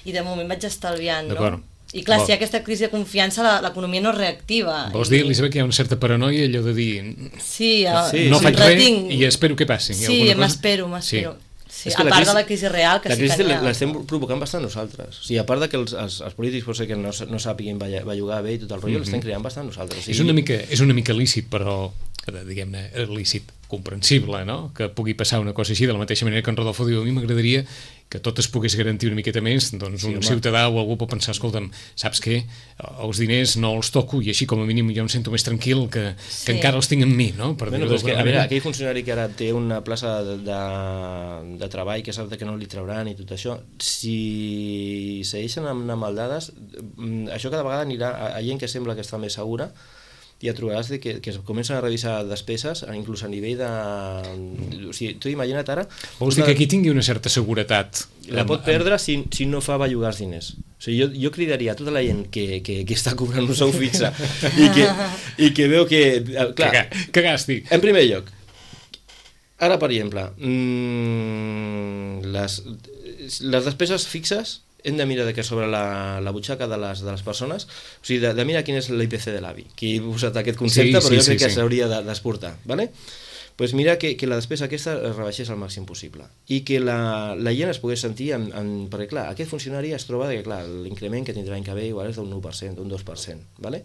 i de moment vaig estalviant, no? D'acord. I clar, Vol- si hi ha aquesta crisi de confiança, la- l'economia no es reactiva. Vols I- dir, Elisabet, que hi ha una certa paranoia, allò de dir... Sí, eh, Sí, no sí. faig res retinc. i espero que passi. Hi ha Sí, alguna cosa? m'espero, m'espero. Sí, És que a la part crisi- de la crisi real, que la sí crisi que n'hi ha. l'estem provocant bastant nosaltres. O sigui, a part de que els, els, els polítics pot ser que no, no sàpiguin balla- bellugar bé i tot el rotllo, l'estem creant bastant nosaltres. O sigui, És una mica, és una mica lícit, però diguem-ne, lícit, comprensible, no? Que pugui passar una cosa així, de la mateixa manera que en Rodolfo diu, a mi m'agradaria que tot es pogués garantir una miqueta més, doncs Sí, un home. ciutadà o algú pot pensar, escolta'm, saps què? Els diners no els toco i així com a mínim jo em sento més tranquil que, Sí. que encara els tinc amb mi, no? Per Bueno, dir-ho però és que, d'alguna a veure, manera. aquell funcionari que ara té una plaça de, de, de treball que sap que no li trauran i tot això, si segueixen amb, amb el dades, mm, això cada vegada anirà a, a gent que sembla que està més segura, i et trobaràs de que, que es comencen a revisar despeses, inclús a nivell de... O sigui, tu imagina't ara... Vols dir una- que aquí tingui una certa seguretat? la amb- pot perdre si, si no fa bellugar els diners. O sigui, jo, jo cridaria a tota la gent que, que, que està cobrant un sou fixe i que, i que veu que... eh, Clar, Que, que gasti. en primer lloc, ara, per exemple, mmm, les, les despeses fixes hem de mirar de que sobre la, la butxaca de les, de les persones, o sigui, de, de mirar quin és l'I P C de l'A B I, que he posat aquest concepte, Sí, però sí, jo crec sí, que sí. s'hauria de- d'exportar, ¿vale? Pues mira que, que la despesa aquesta es rebaixés al màxim possible i que la, la gent es pogués sentir en, en, perquè clar, aquest funcionari es troba que clar, l'increment que tindrà l'any que ve igual és d'un u per cent, d'un dos per cent, ¿vale?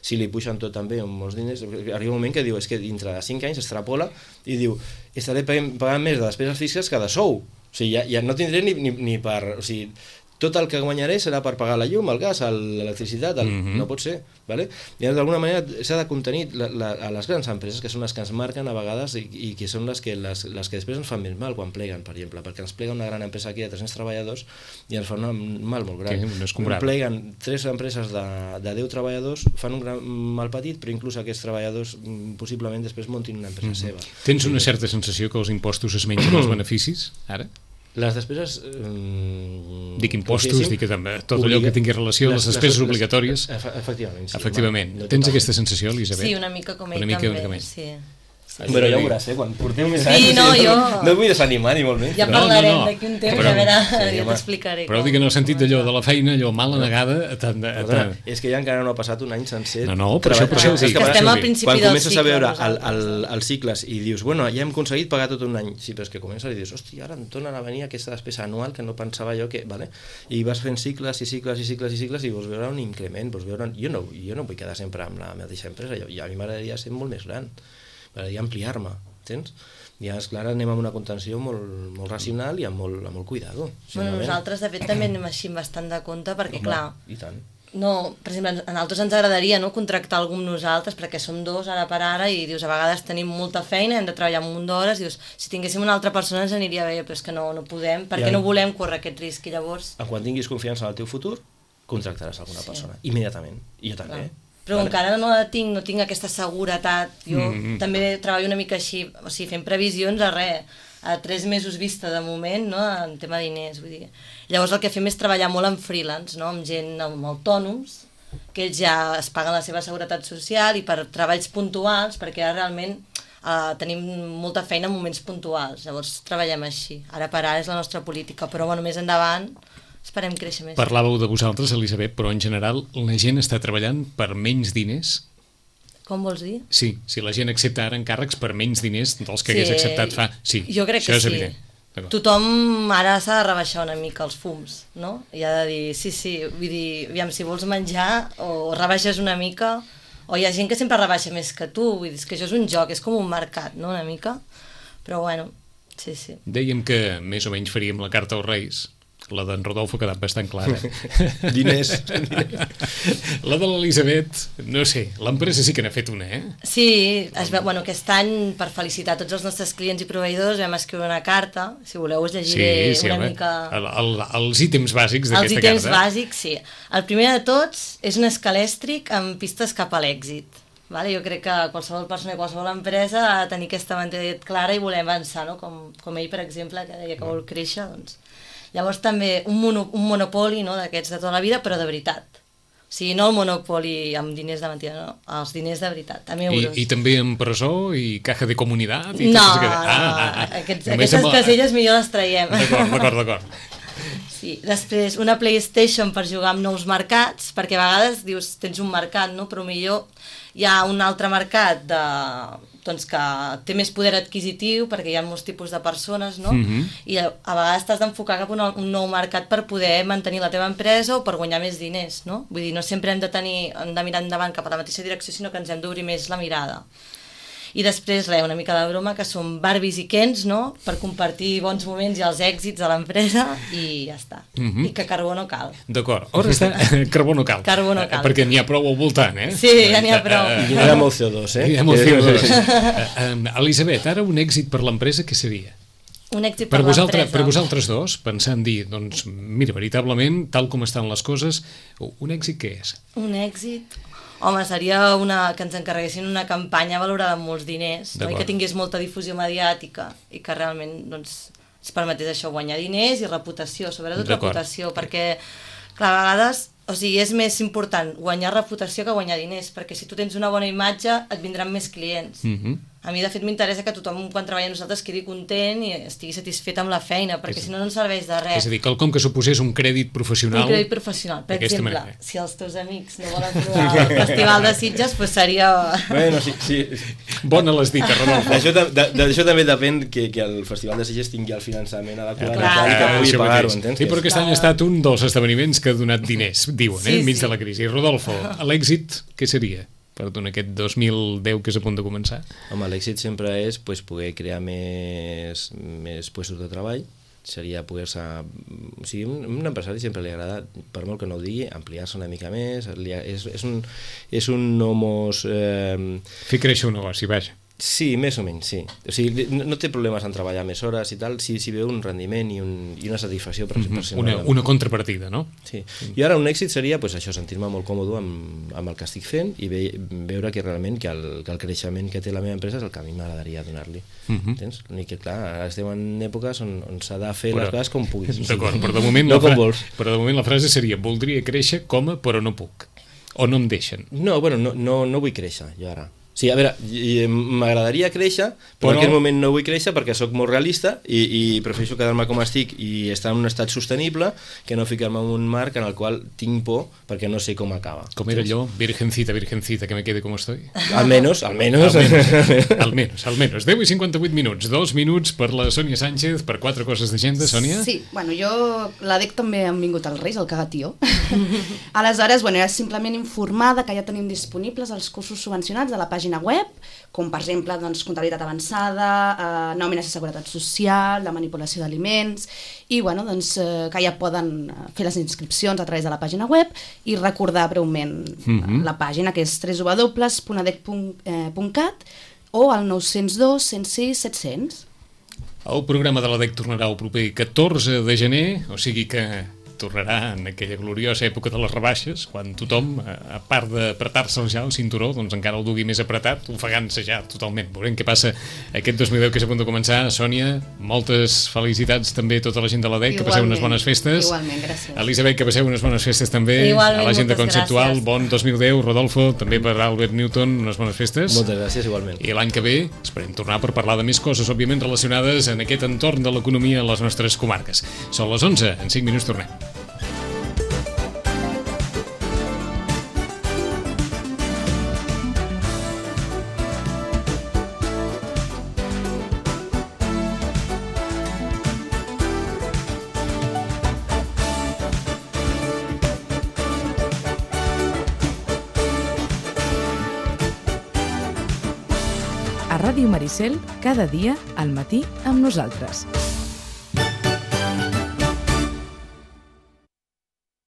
Si li pugen tot també amb molts diners, arriba un moment que diu, és que dintre de cinc anys extrapola i diu, estaré pagant, pagant més de despeses fixes que de sou, o sigui, ja, ja no tindré ni, ni, ni per... O sigui, tot el que guanyaré serà per pagar la llum, el gas, el- l'electricitat, el... Mhm. no pot ser, ¿vale? I d'alguna manera s'ha de contenir la, la, a les grans empreses, que són les que ens marquen a vegades i, i que són les que, les, les que després ens fan més mal quan pleguen, per exemple, perquè ens plega una gran empresa aquí de tres-cents treballadors i ens fa un mal molt gran. Que no és comparable. Pleguen tres empreses de, de deu treballadors, fan un gran mal petit, però inclús aquests treballadors mm, possiblement després muntin una empresa seva. Tens una certa sensació que els impostos es mengen els beneficis, ara? Les despeses... Eh, Dic impostos, dic que també tot allò que tingui relació a les despeses obligatòries. Efe- Efectivament, sí. Efectivament. home, no Tens totalment. aquesta sensació, Elisabet? Sí, una mica com ell Una mica, també. una mica més. Sí. Bueno, ja ho veuràs, eh? Quan porteu més Sí, anys... no, jo- No et vull desanimar ni molt menys. Ja No, no, parlarem no. d'aquí un temps, Però- a veure, Sí, ja home. t'explicaré. Però com- dic en el sentit com d'allò va. de la feina, allò mala negada... Tant, de, Perdona, tant, és que ja encara no ha passat un any sencer. No, no, per això- per treballant. això ho dic. És que Que estem quan- al principi quan del comences a cicle, veure el, nosaltres. el, els cicles i dius, bueno, ja hem aconseguit pagar tot un any. Sí, però és que comences i dius, hòstia, ara em tornen a venir aquesta despesa anual que no pensava jo que... Vale? I vas fent cicles i cicles i cicles i cicles i vols veure un increment, vols veure... Jo no, jo no vull quedar sempre amb la mateixa empresa, jo, a mi m'agradaria ser molt més gran, m'agradaria ampliar-me, entens? I és clar, anem amb una contenció molt, molt racional i amb molt, amb molt cuidado. Bueno, sincerament. nosaltres, de fet, també anem així amb bastant de compte, perquè, Home, clar, I tant. no, per exemple, a nosaltres ens agradaria no, contractar algú amb nosaltres, perquè som dos ara per ara, i dius, a vegades tenim molta feina, hem de treballar un munt d'hores, dius, si tinguéssim una altra persona ens aniria bé, però és que no, no podem, perquè Ja. no volem córrer aquest risc, i llavors... Quan tinguis confiança en el teu futur, contractaràs alguna Sí. persona, immediatament. I jo també. Clar. Però vale. Encara no la tinc, no tinc aquesta seguretat. Jo Mm. també treballo una mica així, o sigui, fent previsions a res. a tres mesos vista de moment, no?, en tema de diners, vull dir. Llavors el que fem és treballar molt en freelance, no?, amb gent, amb autònoms, que ells ja es paguen la seva seguretat social i per treballs puntuals, perquè ara realment eh, tenim molta feina en moments puntuals, llavors treballem així. Ara per ara és la nostra política, però bueno, més endavant esperem créixer més. Parlàveu de vosaltres, Elisabet, però en general la gent està treballant per menys diners? Com vols dir? Sí, si la gent accepta ara encàrrecs per menys diners dels que sí, hagués acceptat fa... Sí, jo crec això que és sí. evident. Tothom ara s'ha de rebaixar una mica els fums, no? I ha de dir, sí, sí, vull dir, aviam, si vols menjar o rebaixes una mica, o hi ha gent que sempre rebaixa més que tu, vull dir, que això és un joc, és com un mercat, no?, una mica, però bueno, sí, sí. Dèiem que més o menys faríem la carta als Reis. La d'en Rodolfo ha quedat bastant clara. Diners. La de l'Elisabet, no sé, l'empresa sí que n'ha fet una, eh? Sí, es veu, bueno, aquest any, per felicitar tots els nostres clients i proveïdors, vam escriure una carta, si voleu us llegiré sí, sí, una home, mica... El, el, els ítems bàsics d'aquesta carta. Els ítems bàsics, sí. El primer de tots és un escalèstric amb pistes cap a l'èxit. Vale? Jo crec que qualsevol persona i qualsevol empresa ha de tenir aquesta mentalitat clara i voler avançar, no? com, com ell, per exemple, que deia que vol créixer, doncs... Llavors també un, mono, un monopoli, no?, d'aquests de tota la vida, però de veritat. O sigui, no el monopoli amb diners de mentida, no, els diners de veritat, amb euros. I, i també en presó i caja de comunitat? I no, que... ah, no, ah, ah. Aquests, aquestes amb... caselles millor les traiem. D'acord, d'acord, d'acord. Sí, després una PlayStation per jugar amb nous mercats, perquè a vegades dius, tens un mercat, no?, però millor hi ha un altre mercat de... doncs que té més poder adquisitiu perquè hi ha molts tipus de persones, no? Mm-hmm. I a, a vegades t'has d'enfocar cap a un, un nou mercat per poder mantenir la teva empresa o per guanyar més diners, no? Vull dir, no sempre hem de tenir, hem de mirar endavant cap a la mateixa direcció, sinó que ens hem d'obrir més la mirada. I després, res, una mica de broma, que són Barbies i Kens, no?, per compartir bons moments i els èxits de l'empresa i ja està. Mm-hmm. I que carbó no cal. D'acord. Ara està... Carbó no cal. Carbó no cal. Perquè n'hi ha prou al voltant, eh? Sí, ja n'hi ha prou. I hi ha molt C O dos, eh? Hi ha molt C O dos. Elisabet, ara un èxit per l'empresa, què seria? Un èxit per, per l'empresa. Per vosaltres dos, pensant dir, doncs, mira, veritablement, tal com estan les coses, un èxit què és? Un èxit... Home, seria una, que ens encarreguessin una campanya valorada amb molts diners, no? I que tingués molta difusió mediàtica i que realment doncs, ens permetés això, guanyar diners i reputació, sobretot reputació, perquè clar, a vegades, o sigui, és més important guanyar reputació que guanyar diners, perquè si tu tens una bona imatge et vindran més clients. Mm-hmm. A mi, de fet, m'interessa que tothom, quan treballa amb nosaltres, quedi content i estigui satisfet amb la feina, perquè és, si no, no ens serveix de res. És a dir, quelcom que suposés un crèdit professional... Un crèdit professional. Per exemple, manera. Si els teus amics no volen fer el Festival de Sitges, doncs seria... Bueno, sí, sí. Bona l'has dit, Rodolfo. Això, de, de, això també depèn que, que el Festival de Sitges tingui el finançament adequat Clar. i que pugui pagar-ho, entens? Sí, però aquest any ha estat un dels esdeveniments que ha donat diners, diuen, eh, sí, enmig sí. de la crisi. Rodolfo, l'èxit, què seria? Perdona, aquest dos mil deu que és a punt de començar? Home, l'èxit sempre és pues, poder crear més, més puestos de treball, seria poder-se... O sigui, un, un empresari sempre li agrada, per molt que no ho digui, ampliar-se una mica més, li, és, és un, és un nomos... Eh... Fer créixer un negoci, vaja. Sí, més o menys, sí. O sigui, no, no té problemes en treballar més hores i tal, si, si veu un rendiment i, un, i una satisfacció per, mm-hmm. per ser una, una contrapartida, no? Sí. I ara un èxit seria pues, això, sentir-me molt còmode amb, amb el que estic fent i ve, veure que realment que el, que el creixement que té la meva empresa és el que a mi m'agradaria donar-li. Mm-hmm. Entens? L'únic que, clar, ara estem en èpoques on, on s'ha de fer però, les coses com puguis. D'acord, però de moment, no la com vols. Però de moment la frase seria voldria créixer, com, però no puc. O no em deixen. No, bueno, no, no, no vull créixer, jo ara. Sí, a veure, m'agradaria créixer, però, però en aquest moment no vull créixer perquè sóc molt realista i, i prefereixo quedar-me com estic i estar en un estat sostenible que no ficar-me en un marc en el qual tinc por perquè no sé com acaba. Com era allò? Virgencita, virgencita, que me quede com estoy? Almenos, almenos. Almenos, almenos, almenos. deu i cinquanta-vuit minuts, dos minuts per la Sònia Sánchez, per quatre coses d'agenda, Sònia? Sí, bueno, jo, la D E C també han vingut als Reis, el cagatió. Aleshores, bueno, era simplement informada que ja tenim disponibles els cursos subvencionats de la pàgina web, com per exemple doncs, comptabilitat avançada, eh, nòmines de seguretat social, la manipulació d'aliments, i bueno, doncs, eh, que ja poden fer les inscripcions a través de la pàgina web i recordar breument mm-hmm. la pàgina, que és w w w punt a d e c punt cat o al nou zero dos, cent sis, set cents. El programa de la D E C tornarà el proper catorze de gener, o sigui que tornarà en aquella gloriosa època de les rebaixes, quan tothom, a part d'apretar-se ja el cinturó, doncs encara el dugui més apretat, ofegant-se ja totalment. Veurem què passa aquest dos mil deu que és a punt de començar. Sònia, moltes felicitats també a tota la gent de la D E C, que passeu unes bones festes. Igualment, gràcies. Elisabet, que passeu unes bones festes també. Igualment, a la gent de moltes Conceptual, gràcies. bon dos mil deu. Rodolfo, també per Albert Newton, unes bones festes. Moltes gràcies, igualment. I l'any que ve esperem tornar per parlar de més coses, òbviament relacionades en aquest entorn de l'economia a les nostres comarques. Són les onze, en cinc minuts tornem. A Ràdio Maricel, cada dia al matí amb nosaltres.